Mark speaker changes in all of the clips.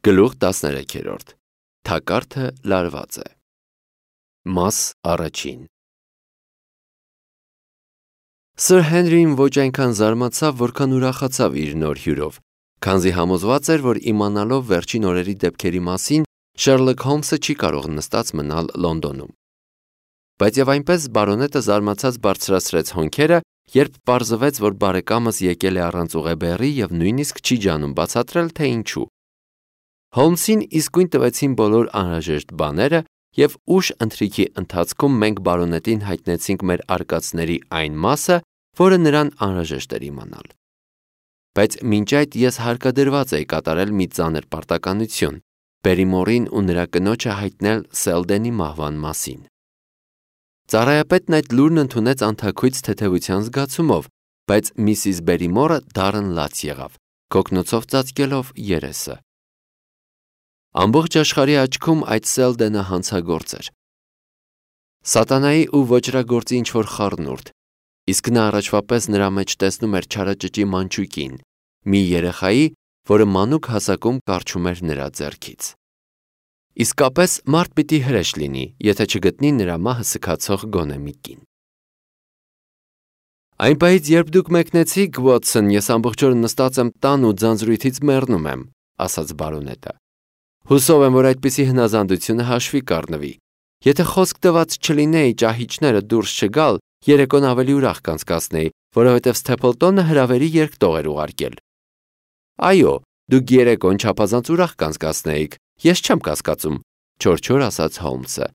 Speaker 1: Գլուխ 13 Թակարդը լարված է։ Մաս առաջին Սր Հենրին ոչ այնքան զարմացավ, որքան ուրախացավ իր նոր հյուրով, քանզի համոզված էր, որ իմանալով վերջին օրերի դեպքերի մասին, Շերլոկ Հոլմսը չի կարող նստած մնալ Լոնդոնում։ Բայց եւ այնպես բարոնետը զարմացած բարձրացրեց հոնքերը, երբ պարզվեց, որ բարեկամս եկել է առանց ուղեբեռի եւ նույնիսկ չի ջանում բացատրել, թե ինչու։ Հոլմսին իսկույն տվեցին բոլոր անհրաժեշտ բաները եւ ուշ ընթրիքի ընթացքում մենք բարոնետին հայտնեցինք մեր արկածների այն մասը, որը նրան անհրաժեշտ էր իմանալ։ Բայց մինչ այդ ես հարկադրված էի կատարել մի ծանր պարտականություն՝ Բերիմորին ու նրա կնոջը հայտնել Սելդենի մահվան մասին։ Ծառայապետն այդ լուրն ընդունեց անթաքույց թեթևության զգացումով, բայց Միսիս Բերիմորը դառն լաց եղավ, կոկնոցով ծածկելով երեսը։ Ամբողջ աշխարհի աչքում այդ Սելդենը հանցագործ էր։ Սատանայի ու ոճրագործի ինչ-որ խառնուրդ, իսկ նա առաջվա պես նրա մեջ տեսնում էր չարաճճի մանչուկին, մի երեխայի, որը մանուկ հասակում կառչում էր նրա ձեռքից։ Իսկապես մարդ պիտի հրեշ լինի, եթե չգտնի նրա մահը սքացող գոնե մի կին։ Այն պահից, երբ դուք մեկնեցիք, Վոթսոն, ես ամբողջ օրը նստած եմ տան ու ձանձրույթից մեռնում եմ, ասաց բարոնետը։ Հուսով եմ, որ այդպիսի հնազանդությունը հաշվի կառնվի։ Եթե խոսք տված չլինեի ճահիճները դուրս չգալ, երեկոն ավելի ուրախ կանցկացնեի, որովհետև Սթեփլտոնը հրավերի երկտող էր ուղարկել։ Այո, դուք երեկոն չափազանց ուրախ կանցկացնեիք, ես չեմ կասկածում, չոր ասաց Հոլմսը։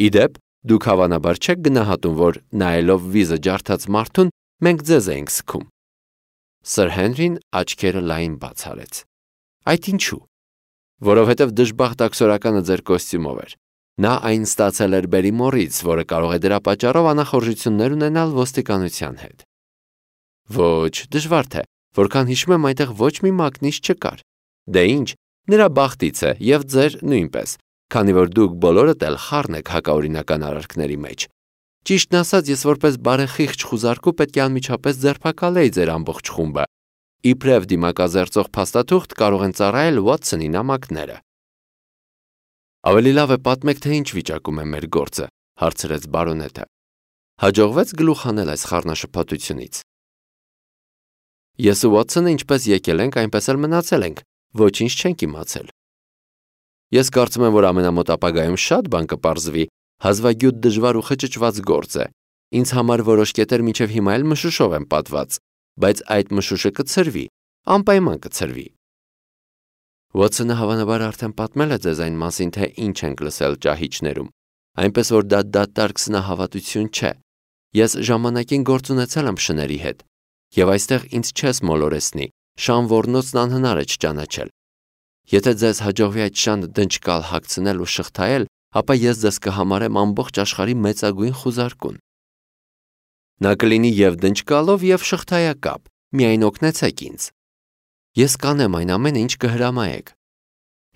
Speaker 1: Իդեպ, դուք հավանաբար չեք գնահատում, որ նայելով վիզը ջարդած մարդուն, մենք ձեզ էինք սգում։ Սր Հենրին աչքերը լայն բաց արեց։ Այդ ինչու։ Որովհետև դժբախտ աքսորականը ձեր կոստյումով էր։ Նա այն ստացել էր Բերիմորից, որը կարող է դրա պատճառով անախորժություններ ունենալ ոստիկանության հետ։ Ոչ, դժվար թե, որքան հիշում եմ, այնտեղ ոչ մի մակնիշ չկար։ Դե ինչ, նրա բախտից է եւ ձեր նույնպես, քանի որ դուք բոլորդ էլ խառն եք հակաօրինական արարքների մեջ։ Ճիշտն ասած, ես որպես բարեխիղճ խուզարկու պետք է անմիջապես ձերբակալեի ձեր ամբողջ խումբը։ Իբրև դիմակազերծող փաստաթուղթ կարող են ծառայել Վոթսոնի նամակները։ Ավելի լավ է պատմեք, թե ինչ վիճակում է մեր գործը, հարցրեց բարոնետը։ Հաջողվեց գլուխ հանել այս խառնաշփոթությունից։ Ես ու Վոթսոնը ինչպես եկել ենք, այնպես էլ մնացել ենք, ոչինչ չենք իմացել։ Ես կարծում եմ, որ ամենամոտ ապագայում շատ բան կպարզվի, հազվագյուտ դժվար ու խճճված գործ է։ Ինձ համար որոշ կետեր մինչև հիմա էլ մշուշով են պատված, բայց այդ մշուշը կցրվի, անպայման կցրվի։ Վոթսոնը հավանաբար արդեն պատմել է ձեզ այն մասին, թե ինչ ենք լսել ճահիճներում, այնպես որ դա դատարկ սնահավատություն չէ։ Ես ժամանակին գործ ունեցել եմ շների հետ, եւ այստեղ ինձ չես մոլորեսնի, շան ոռնոցն անհնար է չճանաչել։ Եթե ձեզ հաջողվի այդ շանը դնչկալ հագցնել ու շղթայել, ապա ես ձեզ կհամարեմ ամբողջ աշխարհի մեծագույն խուզարկուն։ Նա կլինի եւ դնչկալով եւ շղթայակապ, միայն օգնեցեք ինձ։ Ես կանեմ այն ամենը, ինչ կհրամայեք։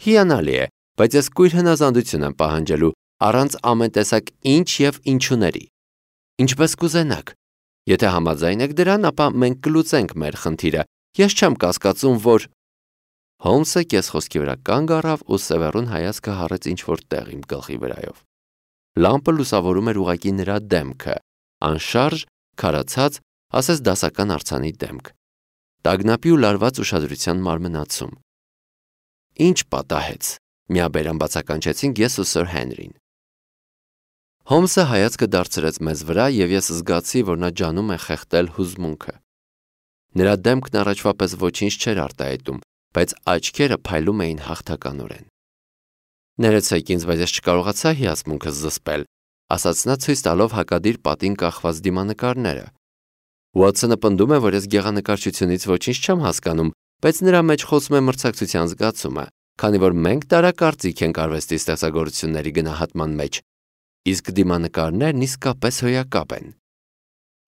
Speaker 1: Հիանալի է, բայց ես կույր հնազանդություն եմ պահանջելու առանց ամեն տեսակ ինչ եւ ինչուների։ Ինչպես կուզենաք։ Եթե համաձայն եք դրան, ապա մենք կլուծենք մեր խնդիրը։ Ես չեմ կասկածում, որ Հոլմսը կես խոսքի վրա կանգ առավ ու սևեռուն հայացքը հառեց ինչ-որ տեղ իմ գլխի վրայով։ Լամպը լուսավորում էր ուղղակի նրա դեմքը, անշարժ, քարացած, ասես դասական արձանի դեմք։ Տագնապի ու լարված ուշադրության մարմնացում։ Ինչ պատահեց, միաբերան բացականչեցինք ես ու Սր Հենրին։ Հոլմսը հայացքը դարձրեց մեզ վրա եւ ես զգացի, որ նա ջանում է խեղդել հուզմունքը։ Նրա դեմքն առաջվա պես ոչինչ չէր արտահայտում, բայց աչքերը փայլում էին հաղթականորեն։ Ներեցեք ինձ, բայց ես չկարողացա հիացմունքս զսպել, ասաց նա ցույց տալով հակադիր պատին կախված դիմանկարները։ Վոթսոնը պնդում է, որ ես գեղանկարչությունից ոչինչ չեմ հասկանում, բայց նրա մեջ խոսում է մրցակցության զգացումը, քանի որ մենք տարակարծիք ենք արվեստի ստեղծագործությունների գնահատման մեջ, իսկ դիմանկարներն իսկապես հոյակապ են։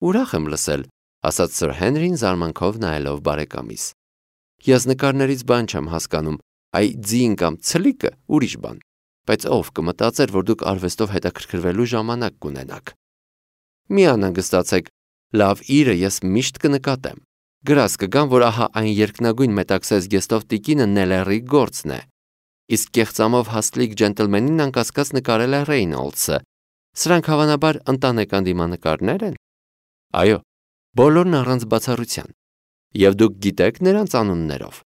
Speaker 1: Ուրախ եմ լսել, ասաց Սր Հենրին զարմանքով նայելով բարեկամիս։ Ես նկարներից բան չեմ հասկանում, այ ձին կամ ցլիկը ուրիշ բան, բայց ով կմտածեր, որ դուք արվեստով հետաքրքրվելու ժամանակ կունենաք։ Մի անհանգստացեք, լավ իրը ես միշտ կնկատեմ։ Գրած կգամ, որ ահա այն երկնագույն մետաքսես գեստով տիկինը Նելերի գործն է։ իսկ կեղծամով հաստլիկ ջենտլմենին անկասկած նկարել է Ռեյնոլդսը։ Սրանք հավանաբար ընտանեկան դիմանկարներ են։ Այո, բոլորն առանց բացառության։ Եվ դուք գիտեք նրանց անուններով։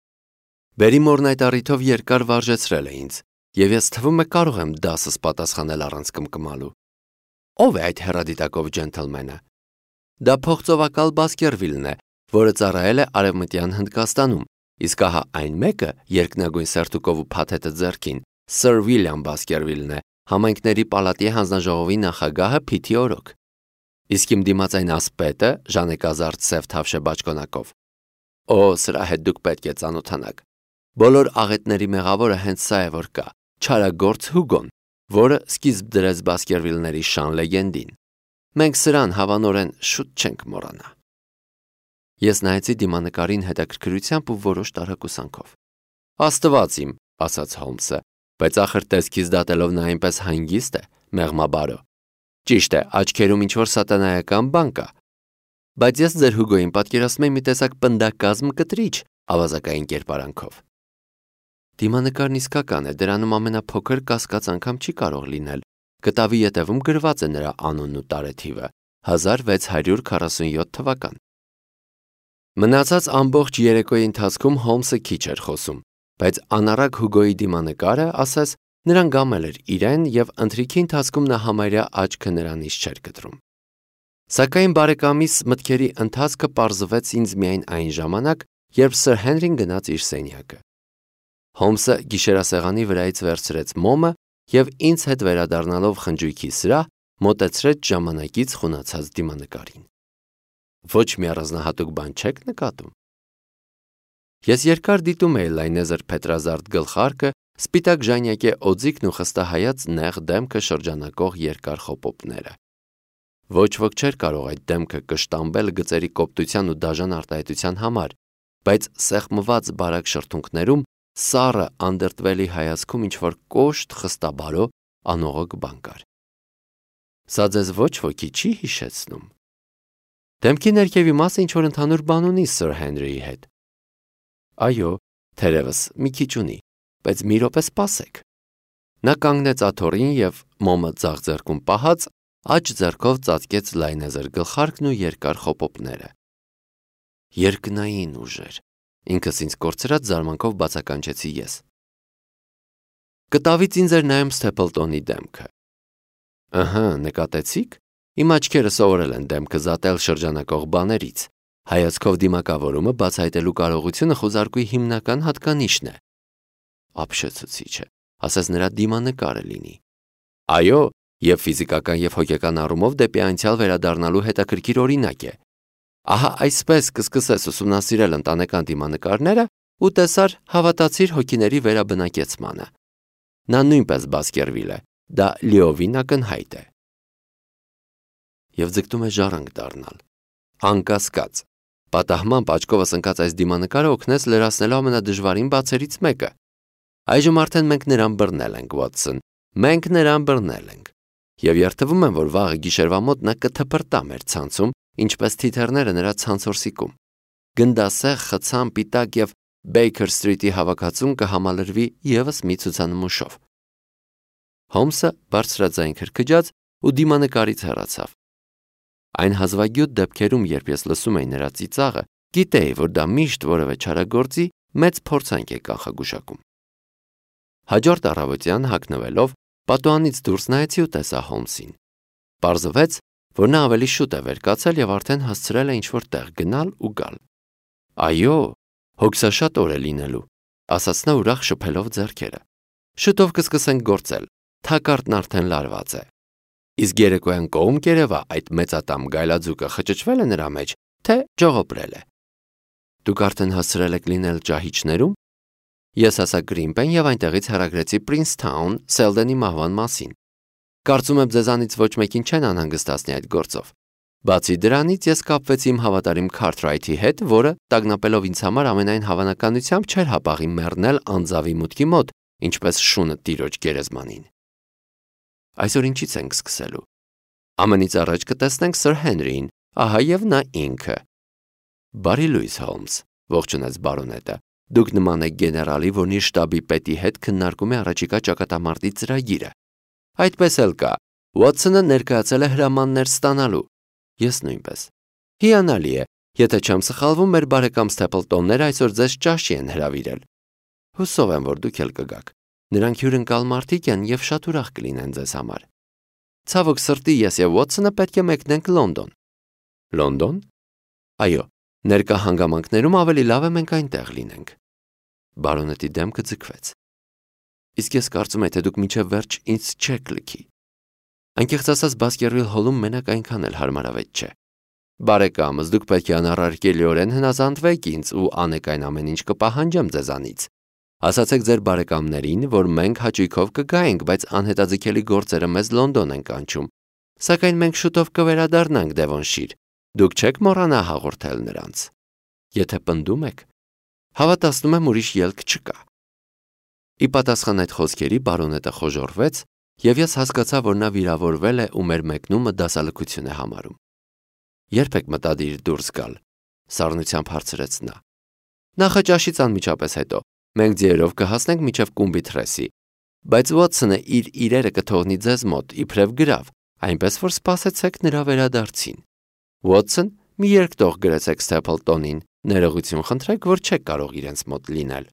Speaker 1: Բերիմորն այդ առիթով երկար վարժեցրել է ինձ, եւ ես թվում է կարող եմ դասս պատասխանել առանց կմկմալու։ Ո՞վ է այդ հեռադիտակով ջենտլմենը։ Դա փողծովակալ Բասկերվիլն է, որը ծառայել է Արևմտյան Հնդկաստանում, իսկ ահա այն մեկը, երկնագույն սերտուկով ու փաթեթը ձեռքին, Սր Վիլյամ Բասկերվիլն է, համայնքների պալատի հանձնաժողովի նախագահը Փիթի օրոք։ Իսկ իմ դիմաց այն ասպետը, ժանեկազարդ սև թավշե բաճկոնակով։ Օ, սրա հետ դուք պետք է ծանոթանաք։ Բոլոր աղետների մեղավորը հենց սա է, որ կա, չարագործ Հուգոն, որը սկիզբ դրեց Բասկերվիլների շան լեգենդին։ Մենք սրան հավանորեն շուտ չենք մոռանա։ Ես նայեցի դիմանկարին հետաքրքրությամբ ու որոշ տարակուսանքով։ Աստված իմ, ասաց Հոլմսը, բայց ախր տեսքից դատելով նա այնպես հանգիստ է, մեղմաբարո։ Ճիշտ է, աչքերում ինչ-որ սատանայական բան կա։ Բայց ես ձեր Հուգոյին պատկերացնում եմ մի տեսակ պնդակազմ կտրիչ, ավազակային կերպարանքով։ Դիմանկարն իսկական է, դրանում ամենափոքր կասկած անգամ չի կարող լինել։ Կտավի ետևում գրված է նրա անունն ու տարեթիվը՝ 1647 թվական։ Մնացած ամբողջ երեկոյի ընթացքում Հոլմսը քիչ էր խոսում, բայց անառակ Հուգոյի դիմանկարը, ասես, նրան գամել էր իրեն եւ ընթրիքի ընթացքում նա համարյա աչքը նրանից չէր կտրում։ Սակայն բարեկամիս մտքերի ընթացքը պարզվեց ինձ միայն այն ժամանակ, երբ Սր Հենրին գնաց իր սենյակը։ Հոլմսը գիշերասեղանի վրայից վերցրեց մոմը եւ ինձ հետ վերադառնալով խնջույքի սրահ, մոտեցրեց ժամանակից խունացած դիմանկարին։ Ոչ մի առանձնահատուկ բան չեք նկատում։ Ես երկար դիտում էի լայնեզր փետրազարդ գլխարկը, սպիտակ ժանյակե օձիքն ու խստահայաց նեղ դեմքը շրջանակող երկար խոպոպները։ Ոչ ոք չէր կարող այդ դեմքը կշտամբել գծերի կոպտության ու դաժան արտահայտության համար, բայց սեղմված բարակ շրթունքներում, սառը անդրտվելի հայացքում ինչ-որ կոշտ, խստաբարո, անողոք բան կար։ Սա ձեզ ոչ ոքի չի հիշեցնում։ Դեմքի ներքևի մասը ինչ-որ ընդհանուր բան ունի Սր Հենրիի հետ։ Այո, թերևս մի քիչ ունի, բայց մի րոպե սպասեք։ Նա կանգնեց աթոռին եւ մոմը ձախ ձեռքում պահած, աջ ձեռքով ծածկեց լայնեզր գլխարկն ու երկար խոպոպները։ Երկնային ուժեր, ինքս ինձ կորցրած զարմանքով բացականչեցի ես։ Կտավից ինձ էր նայում Սթեփլտոնի դեմքը։ Ըհը, նկատեցիք։ Իմ աչքերը սովորել են դեմքը զատել շրջանակող բաներից։ Հայացքով դիմակավորումը բացահայտելու կարողությունը խոզարկուի հիմնական հատկանիշն է։ Ապշեցուցիչ է, ասես նրա դիմանկարը լինի։ Այո, եւ ֆիզիկական եւ հոգեկան առումով դեպի անցյալ վերադառնալու հետաքրքիր օրինակ է։ Ահա այսպես կսկսես ուսումնասիրել ընտանեկան դիմանկարները ու տեսար հավատացիր հոգիների վերաբնակեցմանը։ Նա նույնպես Բասկերվիլ է, դա լիովին ակնհայտ է։ Եվ ձգտում է ժառանգ դառնալ։ Անկասկած, պատահմամբ աչքովս ընկած այս դիմանկարը օգնեց լրացնելու ամենադժվարին բացերից մեկը։ Այժմ արդեն մենք նրան բռնել ենք, Վոթսոն, մենք նրան բռնել ենք։ Եվ երթվում եմ, որ վաղը գիշերվա մոտ նա կթփրտա մեր ցանցում, ինչպես թիթեռները նրա ցանցորսիկում։ Գնդասեղ, խցան, պիտակ եւ Բեյքեր Սթրիթի հավաքածուն կհամալրվի եւս մի ցուցանմուշով։ Հոլմսը բարձրաձայն քրքջաց ու դիմանկարից հեռացավ։ Այն հազվագյուտ դեպքերում, երբ ես լսում էի նրա ծիծաղը, գիտեի, որ դա միշտ որևէ չարագործի մեծ փորձանք է կանխագուշակում։ Հաջորդ առավոտյան հագնվելով, պատուհանից դուրս նայեցի ու տեսա Հոլմսին։ Պարզվեց, որ նա ավելի շուտ է վեր կացել եւ արդեն հասցրել է ինչ-որ տեղ գնալ ու գալ։ Այո, հոգսաշատ օր է լինելու, ասաց նա ուրախ շփելով ձեռքերը։ Շուտով կսկսենք գործել, թակարդն արդեն լարված է։ Իսկ երեկոյան կողմ կերևա այդ մեծատամ գայլաձուկը խճճվել է նրա մեջ, թե ջողոպրել է։ Դուք արդեն հասցրել եք լինել ճահիճներում։ Ես հասա Գրինպեն եւ այնտեղից հեռագրեցի Պրինսթաուն Սելդենի մահվան մասին։ Կարծում եմ ձեզանից ոչ մեկին չեն անհանգստացնի այդ գործով։ Բացի դրանից ես կապվեցի իմ հավատարիմ Քարթրայթի հետ, որը տագնապելով ինձ համար ամենայն հավանականությամբ չէր հապաղի մեռնել անձավի մուտքի մոտ, ինչպես շունը տիրոջ գերեզմանին։ Այսօր ինչից ենք սկսելու։ Ամենից առաջ կտեսնենք Սր Հենրիին, ահա եւ նա ինքը։ Բարի լույս, Հոլմս, ողջունեց բարոնետը, Դուք նման եք գեներալի, որն իր շտաբի պետի հետ քննարկում է առաջիկա ճակատամարտի ծրագիրը։ Այդպես էլ կա։ Ուոթսոնը ներկայացել է հրամաններ ստանալու։ Ես նույնպես։ Հիանալի է, եթե չեմ սխալվում, մեր բարեկամ Սթեփլտոնները այսօր ձեզ ճաշի են հրավիրել։ Հուսով եմ, որ դուք էլ կգաք։ Նրանք հյուրընկալ մարդիկ են և շատ ուրախ կլինեն ձեզ համար։ Ցավոք սրտի, ես և Ուոթսոնը պետք է մեկնենք Լոնդոն։ Լոնդոն։ Այո, ներկա հանգամանքներում ավելի լավ է մենք այնտեղ լինենք։ Բարոնետի դեմքը ձգվեց։ Իսկ ես կարծում եմ, թե դուք մինչև վերջ ինձ չեք լքի։ Անկեղծ ասած, Բասկերվիլ հոլում մենակ այնքան էլ հարմարավետ չէ։ Բարեկամս, դուք պետք է անառարկելիորեն հնազանդվեք ինձ ու անեք այն ամեն ինչ կպահանջեմ ձեզանից։ Ասացեք ձեր բարեկամներին, որ մենք հաճույքով կգայինք, բայց անհետաձգելի գործերը մեզ Լոնդոն են կանչում։ Սակայն մենք շուտով կվերադառնանք Դևոնշիր։ Դուք չեք մոռանա հաղորդել նրանց։ Եթե պնդում եք, հավատացնում եմ ուրիշ ելք չկա։ Ի պատասխան այդ խոսքերի բարոնետը խոժոռվեց, և ես հասկացա, որ նա վիրավորվել է ու մեր մեկնումը դասալքություն է համարում։ Երբ եք մտադիր դուրս գալ, սառնությամբ հարցրեց նա։ Նախաճաշից անմիջապես հետո։ Մենք ձիերով կհասնենք մինչև Կումբիթրեսի, բայց Ուոթսոնը իր իրերը կթողնի ձեզ մոտ, իբրև գրավ, այնպես որ սպասեցեք նրա վերադարձին։ Ուոթսոն, մի երկտող գրեցեք Սթեփլտոնին, ներողություն խնդրեք, որ չեք կարող իրենց մոտ լինել։